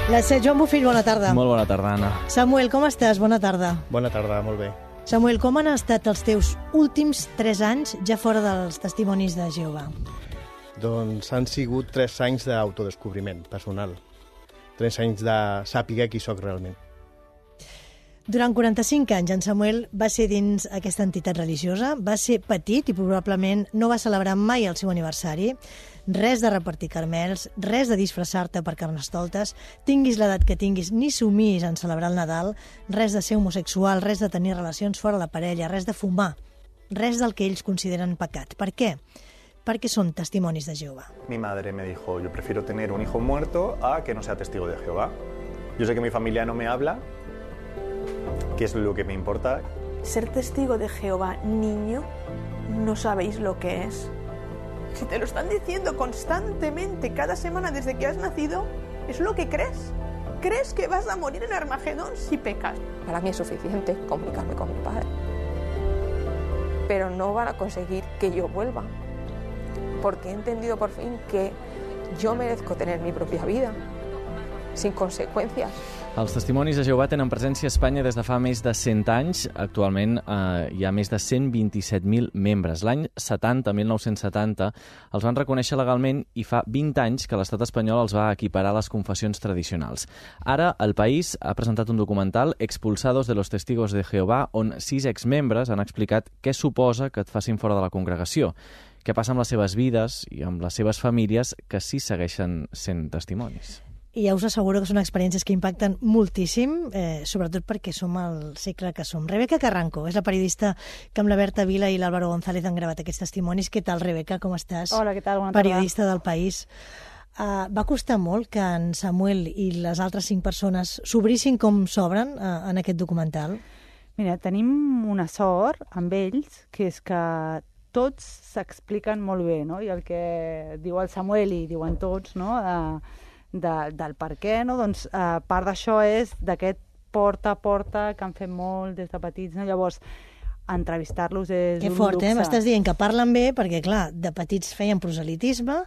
Joan Bofill, bona tarda. Molt bona tarda, Anna. Samuel, com estàs? Bona tarda. Bona tarda, molt bé. Samuel, com han estat els teus últims 3 anys ja fora dels testimonis de Jehovà? Doncs han sigut 3 anys d'autodescobriment personal. 3 anys de sàpiga qui sóc realment. Durant 45 anys, en Samuel va ser dins aquesta entitat religiosa, va ser petit i probablement no va celebrar mai el seu aniversari, res de repartir carmels, res de disfressar-te per carnestoltes, tinguis l'edat que tinguis, ni somis en celebrar el Nadal, res de ser homosexual, res de tenir relacions fora la parella, res de fumar, res del que ells consideren pecat. Per què? Perquè són testimonis de Jehovà. Mi madre me dijo, yo prefiero tener un hijo muerto a que no sea testigo de Jehová. Yo sé que mi familia no me habla, que es lo que me importa. Ser testigo de Jehová, niño, no sabéis lo que es. Si te lo están diciendo constantemente, cada semana desde que has nacido, ¿es lo que crees? ¿Crees que vas a morir en Armagedón si pecas? Para mí es suficiente comunicarme con mi padre. Pero no van a conseguir que yo vuelva. Porque he entendido por fin que yo merezco tener mi propia vida, sin conseqüències. Els testimonis de Jehovà tenen presència a Espanya des de fa més de 100 anys. Actualment hi ha més de 127.000 membres. L'any 1970, els van reconèixer legalment i fa 20 anys que l'estat espanyol els va equiparar a les confessions tradicionals. Ara, el país ha presentat un documental, Expulsados de los Testigos de Jehová, on 6 exmembres han explicat què suposa que et facin fora de la congregació, què passa amb les seves vides i amb les seves famílies que sí segueixen sent testimonis. I ja us asseguro que són experiències que impacten moltíssim, sobretot perquè som al segle que som. Rebeca Carranco és la periodista que amb la Berta Vila i l'Álvaro González han gravat aquests testimonis. Què tal, Rebeca? Com estàs? Hola, què tal? Bona tarda. Periodista del País. Va costar molt que en Samuel i les altres 5 persones s'obrissin com s'obren en aquest documental? Mira, tenim una sort amb ells, que és que tots s'expliquen molt bé, no? I el que diu el Samuel i diuen tots, no?, del per què, no? Doncs part d'això és d'aquest porta a porta que han fet molt des de petits, no? Llavors, entrevistar-los és que un fort, luxe. M'estàs dient que parlen bé perquè, clar, de petits feien proselitisme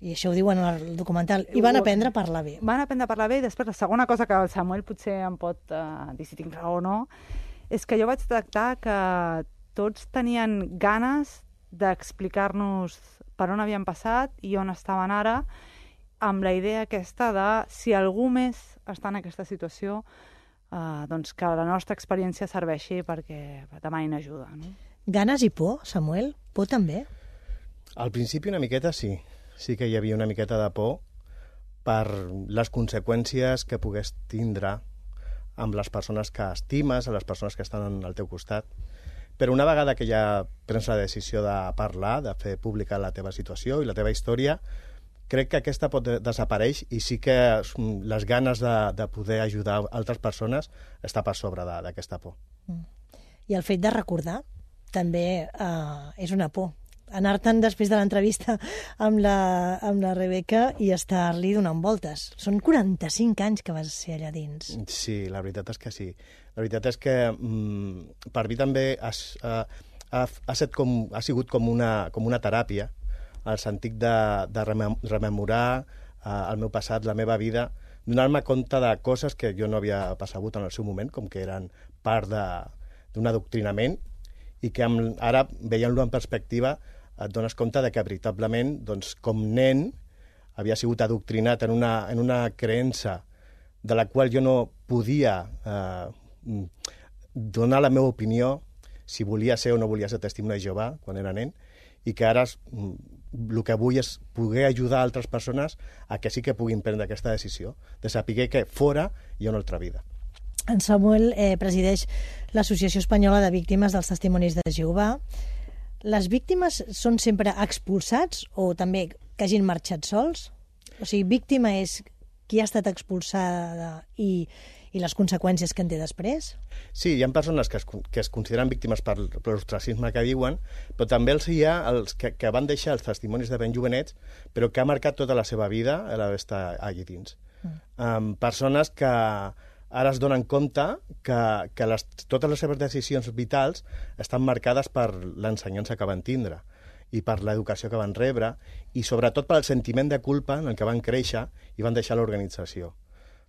i això ho diuen al documental, i van aprendre a parlar bé. Van aprendre a parlar bé, i després la segona cosa que el Samuel potser em pot dir si tinc raó o no, és que jo vaig tractar que tots tenien ganes d'explicar-nos per on havien passat i on estaven ara, amb la idea aquesta de si algú més està en aquesta situació, doncs que la nostra experiència serveixi perquè demanin ajuda. No? Ganes i por, Samuel? Por també? Al principi una miqueta sí. Sí que hi havia una miqueta de por per les conseqüències que pogués tindre amb les persones que estimes, a les persones que estan al teu costat. Però una vegada que ja prens la decisió de parlar, de fer pública la teva situació i la teva història, crec que aquesta pot desaparèixer i sí que les ganes de poder ajudar altres persones està per sobre d'aquesta por. I el fet de recordar també és una por. Anar-te'n després de l'entrevista amb la Rebeca i estar-li donant voltes. Són 45 anys que vas ser allà dins. Sí, la veritat és que sí. La veritat és que per mi també ha sigut com una teràpia, el sentit de rememorar el meu passat, la meva vida, donar-me compte de coses que jo no havia percebut en el seu moment, com que eren part d'un adoctrinament, i que ara, veient-lo en perspectiva, et dones compte de que veritablement, doncs, com nen, havia sigut adoctrinat en una creença de la qual jo no podia donar la meva opinió si volia ser o no volia ser testimoni de Jehovà quan era nen, i que ara el que vull és poder ajudar altres persones a que sí que puguin prendre aquesta decisió, de saber que fora hi ha una altra vida. En Samuel presideix l'Associació Espanyola de Víctimes dels Testimonis de Jehovà. Les víctimes són sempre expulsats o també que hagin marxat sols? O sigui, víctima és qui ha estat expulsada i les conseqüències que en té després? Sí, hi ha persones que es consideren víctimes per l'ostracisme que diuen, però també hi ha els que van deixar els testimonis de ben jovenets, però que ha marcat tota la seva vida d'estar allà dins. Persones que ara es donen compte que totes les seves decisions vitals estan marcades per l'ensenyança que van tindre i per l'educació que van rebre i sobretot pel sentiment de culpa en el que van créixer i van deixar l'organització.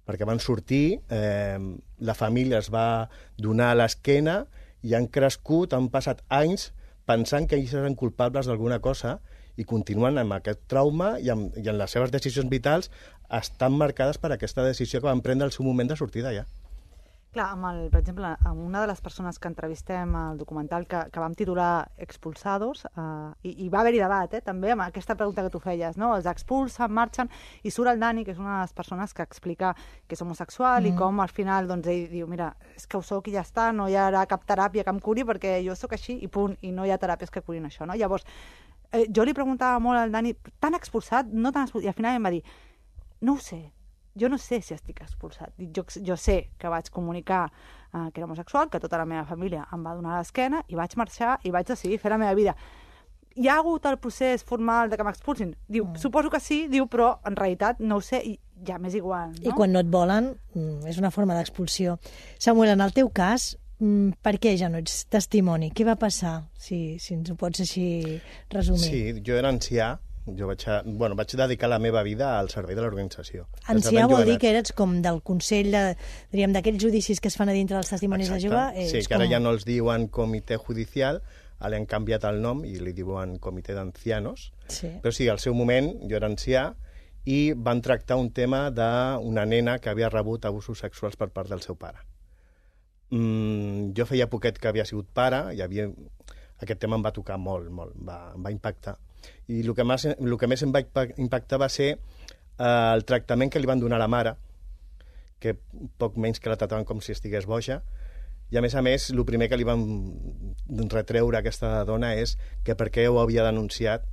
perquè van sortir, la família es va donar a l'esquena i han crescut, han passat anys pensant que ells eren culpables d'alguna cosa i continuen amb aquest trauma i en les seves decisions vitals estan marcades per aquesta decisió que van prendre al seu moment de sortir d'allà. Clar, per exemple, amb una de les persones que entrevistem al documental que vam titular Expulsados, i va haver-hi debat, també, amb aquesta pregunta que tu feies, no? Els expulsen, marxen, i surt el Dani, que és una de les persones que explica que és homosexual i com al final doncs, ell diu, mira, és que ho soc i ja està, no hi haurà cap teràpia que em curi perquè jo sóc així i punt, i no hi ha teràpies que curin això, no? Llavors, jo li preguntava molt al Dani, tan expulsat, no tan expulsat, i al final em va dir, no ho sé, jo no sé si estic expulsat. Jo sé que vaig comunicar que era homosexual, que tota la meva família em va donar a l'esquena i vaig marxar i vaig decidir fer la meva vida. Hi ha hagut el procés formal de que m'expulsin? Diu, suposo que sí, diu, però en realitat no ho sé i ja m'és igual. No? I quan no et volen, és una forma d'expulsió. Samuel, en el teu cas, per què ja no ets testimoni? Què va passar, si ens ho pots així resumir? Sí, jo era ancià. Jo vaig dedicar la meva vida al servei de l'organització. Ancià vol dir que eres com del Consell, d'aquells judicis que es fan a dintre dels testimonis de Jehovà. Sí, que ara ja no els diuen comitè judicial, ara han canviat el nom i li diuen comitè d'ancianos. Sí. Però sí, al seu moment jo era ancià i van tractar un tema d'una nena que havia rebut abusos sexuals per part del seu pare. Jo feia poquet que havia sigut pare i aquest tema em va tocar molt, em va impactar. I el que més em va impactar va ser el tractament que li van donar a la mare, que poc menys que la tractaven com si estigués boja, i a més, el primer que li van retreure a aquesta dona és que per què ho havia denunciat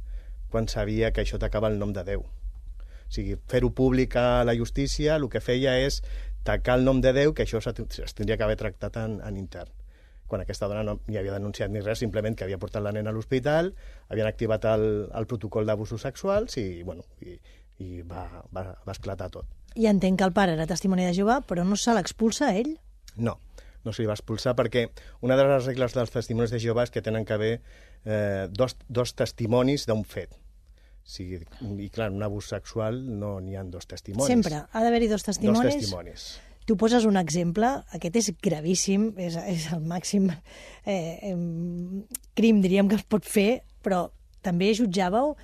quan sabia que això tacava el nom de Déu. O sigui, fer-ho públic a la justícia el que feia és tacar el nom de Déu, que això es tindria que haver tractat en intern. Quan aquesta dona no hi havia denunciat ni res, simplement que havia portat la nena a l'hospital, havien activat el protocol d'abusos sexuals i va esclatar tot. I entenc que el pare era testimoni de Jehovà, però no se l'expulsa a ell? No se li va expulsar perquè una de les regles dels testimonis de Jehovà és que tenen que haver dos testimonis d'un fet. I clar, en un abús sexual no n'hi ha dos testimonis. Sempre ha d'haver-hi dos testimonis? Dos testimonis. Tu poses un exemple, aquest és gravíssim, és el màxim crim, diríem, que es pot fer, però també jutjàveu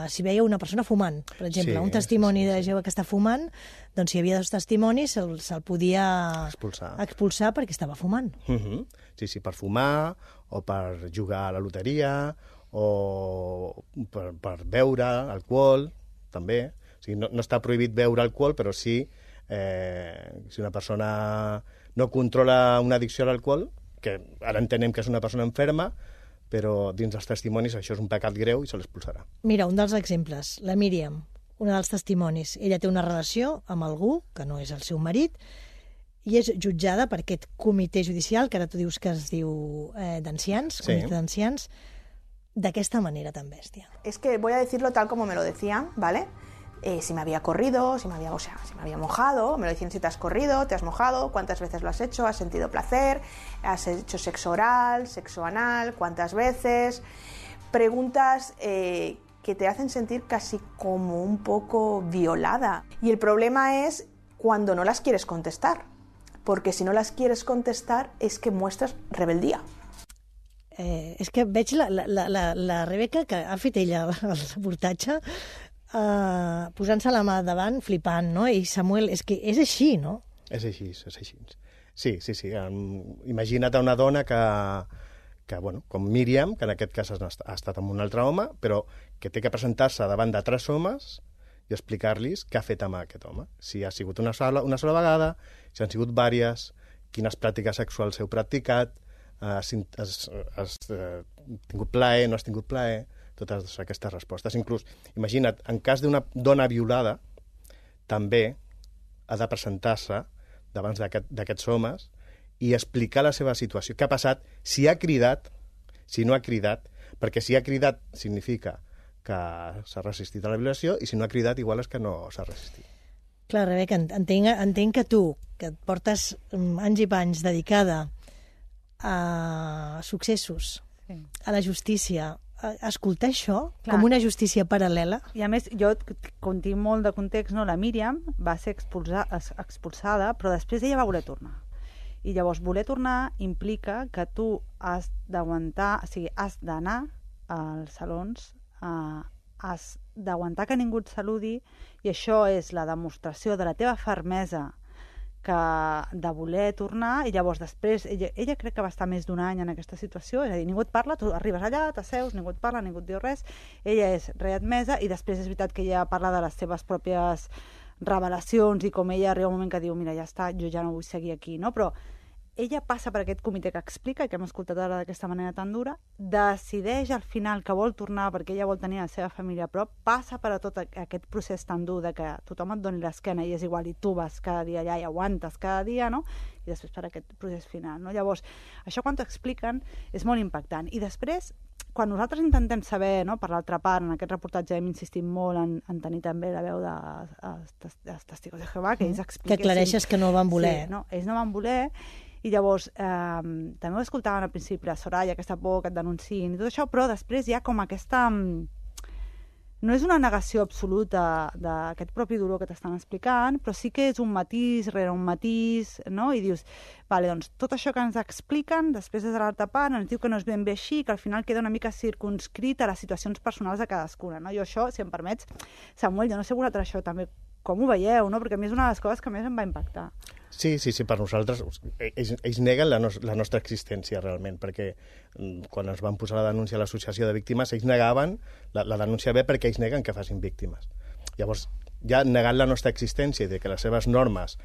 si veieu una persona fumant, per exemple, un testimoni de Jehovà que està fumant, doncs si hi havia dos testimonis se'l podia expulsar perquè estava fumant. Sí, per fumar, o per jugar a la loteria, o per beure alcohol, també. O sigui, no està prohibit beure alcohol, però sí si una persona no controla una addicció a l'alcohol, que ara entenem que és una persona enferma, però dins dels testimonis això és un pecat greu i se l'expulsarà. Mira, un dels exemples, la Míriam, una dels testimonis. Ella té una relació amb algú, que no és el seu marit, i és jutjada per aquest comitè judicial, que ara tu dius que es diu d'ancians, comitè d'ancians, d'aquesta manera tan bèstia. Es que voy a decirlo tal como me lo decían, ¿vale? Si me había corrido, si me había mojado, me lo decían: si te has corrido, te has mojado, cuántas veces lo has hecho, has sentido placer, has hecho sexo oral, sexo anal, cuántas veces, preguntas que te hacen sentir casi como un poco violada. Y el problema es cuando no las quieres contestar, porque si no las quieres contestar es que muestras rebeldía. És que veig la Rebeca, que ha fet ella el reportatge, posant-se la mà davant, flipant, no? I Samuel, és que és així, no? És així. Sí. Imagina't una dona que com Míriam, que en aquest cas ha estat amb un altre home, però que té que presentar-se davant de 3 homes i explicar-los què ha fet amb aquest home. Si ha sigut una sola vegada, si han sigut diverses, quines pràctiques sexuals heu practicat, has tingut plaer, no has tingut plaer, totes aquestes respostes. Inclús, imagina't, en cas d'una dona violada, també ha de presentar-se davant d'aquests homes i explicar la seva situació. Què ha passat? Si ha cridat, si no ha cridat, perquè si ha cridat significa que s'ha resistit a la violació i si no ha cridat igual és que no s'ha resistit. Clar, Rebeca, entenc que tu, que et portes anys i panys dedicada a successos, a la justícia, escoltar això Clar. com una justícia paral·lela... I a més, jo, com tinc molt de context, no? La Míriam va ser expulsada, però després ella va voler tornar. I llavors voler tornar implica que tu has d'aguantar, o sigui, has d'anar als salons, has d'aguantar que ningú et saludi, i això és la demostració de la teva fermesa de voler tornar, i llavors després ella crec que va estar més d'un any en aquesta situació, és a dir, ningú et parla, tu arribes allà, t'asseus, ningú et parla, ningú et diu res, ella és readmesa, i després és veritat que ella parla de les seves pròpies revelacions i com ella arriba un moment que diu, mira, ja està, jo ja no vull seguir aquí, no? Però ella passa per aquest comitè que explica, i que hem escoltat ara d'aquesta manera tan dura, decideix al final que vol tornar perquè ella vol tenir la seva família a prop, passa per a tot aquest procés tan dur de que tothom et doni l'esquena i és igual, i tu vas cada dia allà i aguantes cada dia, no? I després per aquest procés final, no? Llavors, això quan t'ho expliquen és molt impactant. I després, quan nosaltres intentem saber, no, per l'altra part, en aquest reportatge hem insistit molt en tenir també la veu dels testigos de Jehovà, que ells expliquessin... Que aclareixes que no van voler. Sí, no, ells no van voler, i llavors també ho escoltaven al principi, la Soraya, aquesta por que et denunciïn i tot això, però després hi ha com aquesta... No és una negació absoluta d'aquest propi dolor que t'estan explicant, però sí que és un matís rere un matís, no? I dius, vale, doncs tot això que ens expliquen, després des de l'altra part ens diu que no és ben bé així, que al final queda una mica circunscrit a les situacions personals de cadascuna, no? Jo això, si em permets, Samuel, jo no sé vosaltres això també com ho veieu, no? Perquè a mi és una de les coses que més em va impactar. Sí, per nosaltres, ells neguen la nostra existència realment, perquè quan ens van posar la denúncia a l'associació de víctimes, ells negaven la denúncia bé perquè ells neguen que facin víctimes. Llavors, ja negant la nostra existència i de que les seves normes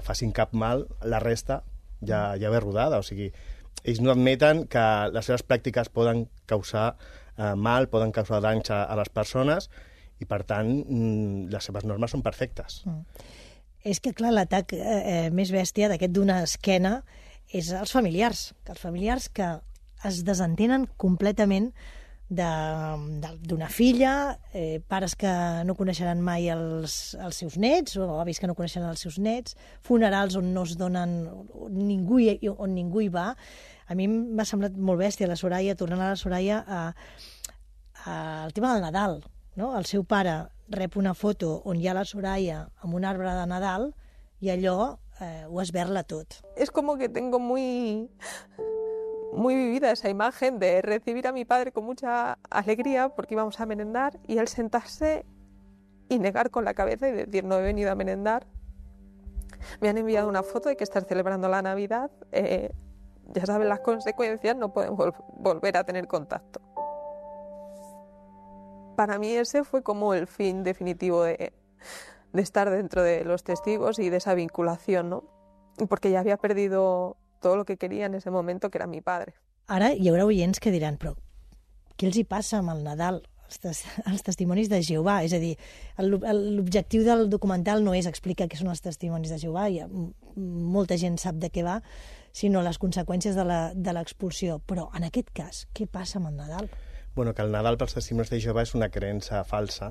facin cap mal, la resta ja ve rodada, o sigui, ells no admeten que les seves pràctiques poden causar mal, poden causar danys a les persones, i per tant les seves normes són perfectes. És que, clar, l'atac més bèstia d'aquest d'una esquena és els familiars que es desentenen completament d'una filla, pares que no coneixeran mai els seus nets, o avis que no coneixeran els seus nets, funerals on no es donen, on ningú hi va. A mi m'ha semblat molt bèstia la Soraya, tornant a la Soraya, al tema del Nadal, no? El seu pare rep una foto on hi ha la Soraya amb un arbre de Nadal i allò ho esberla tot. Es como que tengo muy vivida esa imagen de recibir a mi padre con mucha alegría porque íbamos a merendar y él sentarse y negar con la cabeza y decir no he venido a merendar. Me han enviado una foto de que están celebrando la Navidad. Ya saben las consecuencias, no podemos volver a tener contacto. Para mí ese fue como el fin definitivo de estar dentro de los testigos y de esa vinculación, ¿no? Porque ya había perdido todo lo que quería en ese momento, que era mi padre. Ara hi haurà oients que diran, però què els hi passa amb el Nadal, els testimonis de Jehovà? És a dir, l'objectiu del documental no és explicar què són els testimonis de Jehovà, molta gent sap de què va, sinó les conseqüències de l'expulsió. Però en aquest cas, què passa amb el Nadal? Bueno, que el Nadal pels testimonis de Jehovà és una creença falsa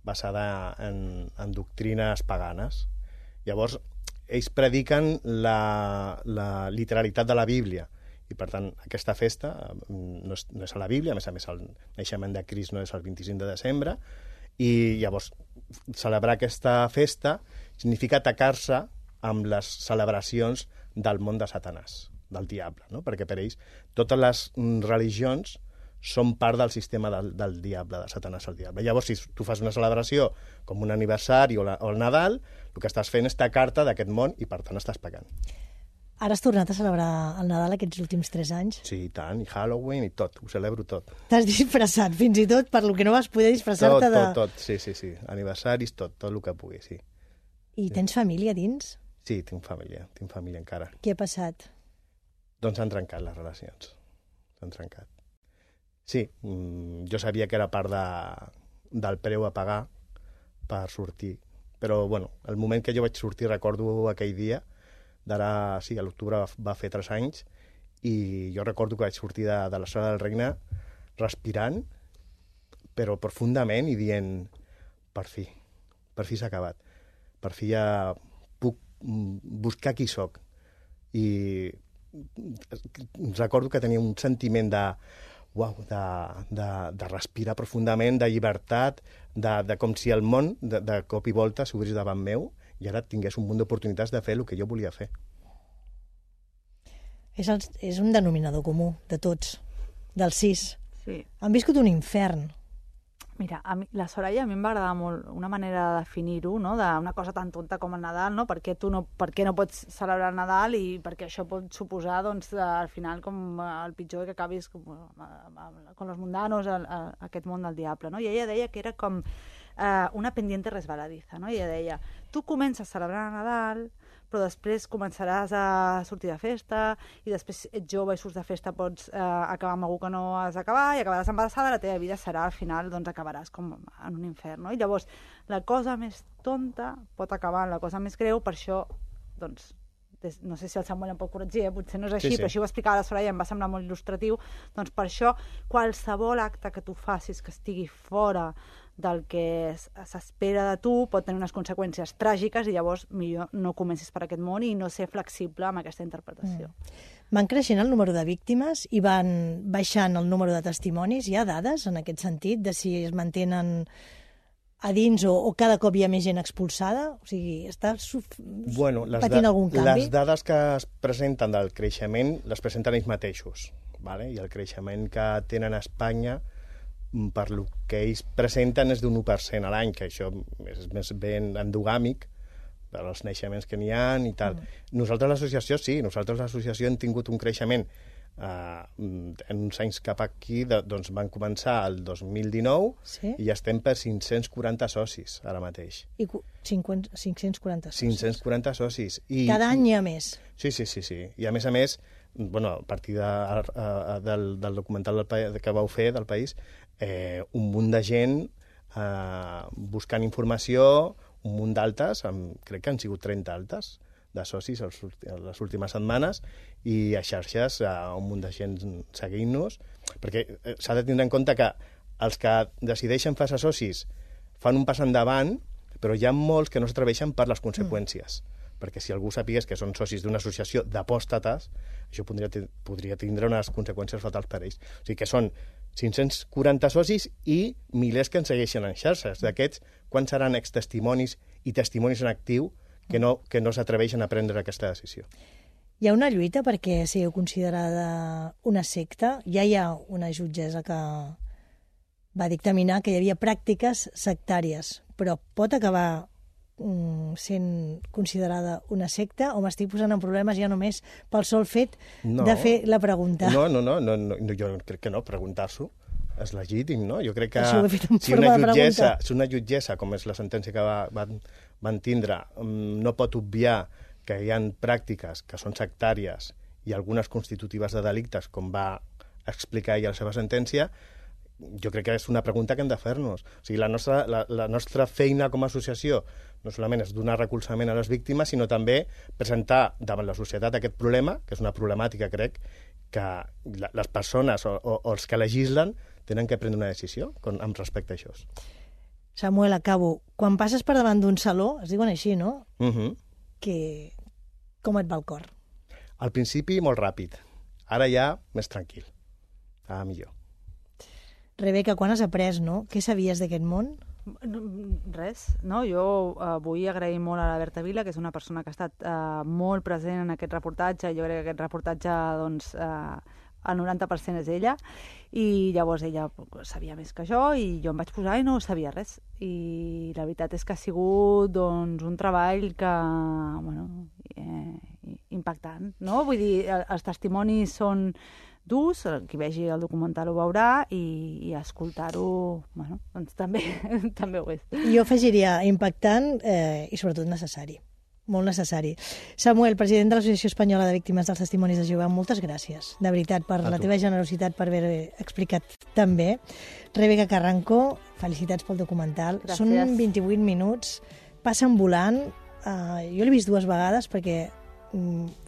basada en doctrines paganes. Llavors, ells prediquen la literalitat de la Bíblia i, per tant, aquesta festa no és a la Bíblia, a més, el naixement de Crist no és el 25 de desembre, i llavors celebrar aquesta festa significa atacar-se amb les celebracions del món de Satanàs, del diable, no? Perquè per ells totes les religions són part del sistema del diable, de Satanàs al diable. Llavors, si tu fas una celebració com un aniversari o el Nadal, el que estàs fent és tacar-te d'aquest món i, per tant, estàs pagant. Ara has tornat a celebrar el Nadal aquests últims 3 anys? Sí, i tant, i Halloween i tot, ho celebro tot. T'has disfressat, fins i tot per lo que no vas poder disfressar-te de... Tot, sí, aniversaris, tot el que pugui, sí. I tens família dins? Sí, tinc família encara. Què ha passat? Doncs s'han trencat les relacions, s'han trencat. Sí, jo sabia que era part del preu a pagar per sortir, però bueno, el moment que jo vaig sortir, recordo aquell dia, d'ara, sí, a l'octubre va fer 3 anys, i jo recordo que vaig sortir de la sala del Regne respirant, però profundament, i dient, per fi s'ha acabat, per fi ja puc buscar qui soc. I recordo que tenia un sentiment de de respirar profundament, de llibertat, de com si el món de cop i volta s'obrís davant meu i ara tingués un munt d'oportunitats de fer el que jo volia fer. És un denominador comú de tots, dels 6. Sí. Han viscut un infern. Mira, la Soraya a mi em va agradar molt una manera de definir-ho, no? D'una cosa tan tonta com el Nadal, no? Per què no pots celebrar el Nadal i perquè això pot suposar, doncs, al final com el pitjor que acabis com los mundanos, aquest món del diable, no? I ella deia que era com una pendiente resbaladiza, no? I ella deia, tu comences a celebrar el Nadal, però després començaràs a sortir de festa i després ets jove i surts de festa, pots acabar amb algú que no has d'acabar i acabaràs embarassada, la teva vida serà, al final, doncs acabaràs com en un infern, no? I llavors, la cosa més tonta pot acabar en la cosa més greu, per això, doncs, no sé si el Samuel em pot corregir, potser no és així, sí. Però així ho explicava la Soraya, em va semblar molt il·lustratiu, doncs per això, qualsevol acte que tu facis que estigui fora del que s'espera de tu pot tenir unes conseqüències tràgiques i llavors millor no comencis per aquest món i no ser flexible amb aquesta interpretació. Van creixent el número de víctimes i van baixant el número de testimonis. Hi ha dades en aquest sentit de si es mantenen a dins o cada cop hi ha més gent expulsada? O sigui, està patint algun canvi? Les dades que es presenten del creixement les presenten ells mateixos, vale? I el creixement que tenen a Espanya per lo que ells presenten és d'un 1% a l'any, que això és més ben endogàmic per als naixements que n'hi ha i tal. Nosaltres l'associació hem tingut un creixement en uns anys cap aquí, doncs van començar el 2019 i estem per 540 socis ara mateix. I 540 socis? 540 socis. Cada any hi ha més? Sí. I a més, a partir del documental que vau fer del País, un munt de gent buscant informació, un munt d'altes, crec que han sigut 30 altes de socis les últimes setmanes, i a xarxes un munt de gent seguint-nos, perquè s'ha de tindre en compte que els que decideixen fer-se socis fan un pas endavant, però hi ha molts que no s'atreveixen per les conseqüències. Perquè si algú sapigués que són socis d'una associació d'apòstates, això podria tindre unes conseqüències fatals per ells. O sigui que són 540 socis i milers que ens segueixen en xarxes. D'aquests, quants seran extestimonis i testimonis en actiu que no s'atreveixen a prendre aquesta decisió? Hi ha una lluita perquè sigueu considerada una secta. Ja hi ha una jutgessa que va dictaminar que hi havia pràctiques sectàries, però pot acabar sent considerada una secta o m'estic posant en problemes ja només pel sol fet de fer la pregunta? No, jo crec que no, preguntar-s'ho és legítim, no? Jo crec que si una jutgessa, com és la sentència que van tindre, no pot obviar que hi ha pràctiques que són sectàries i algunes constitutives de delictes, com va explicar ella a la seva sentència, jo crec que és una pregunta que hem de fer-nos. O sigui, la nostra feina com a associació no solament és donar recolzament a les víctimes, sinó també presentar davant la societat aquest problema, que és una problemàtica, crec, que les persones o els que legislen tenen que prendre una decisió amb respecte a això. Samuel, acabo. Quan passes per davant d'un saló, es diuen així, no? Com et va el cor? Al principi, molt ràpid. Ara ja, més tranquil. Millor. Rebeca, quan has après, no? Què sabies d'aquest món? Res, no? Jo vull agrair molt a la Berta Vila, que és una persona que ha estat molt present en aquest reportatge. Jo crec que aquest reportatge, doncs, el 90% és ella, i llavors ella sabia més que jo, i jo em vaig posar i no sabia res. I la veritat és que ha sigut, doncs, un treball que, impactant, no? Vull dir, els testimonis són durs, qui vegi el documental ho veurà, i escoltar-ho, doncs també ho és. Jo afegiria impactant i sobretot necessari, molt necessari. Samuel, president de l'Associació Espanyola de Víctimes dels Testimonis de Jehovà, moltes gràcies, de veritat, per la teva generositat, per haver explicat tan bé. Rebeca Carranco, felicitats pel documental. Gràcies. Són 28 minuts, passen volant. Jo l'he vist 2 vegades perquè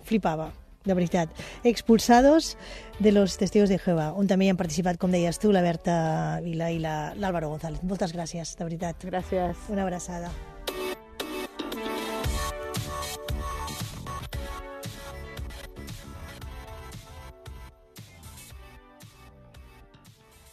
flipava, de veritat. Expulsados de los Testigos de Jehová, on també hi han participat, com deies tu, la Berta Vila i l'Álvaro González. Moltes gràcies, de veritat. Gràcies. Una abraçada.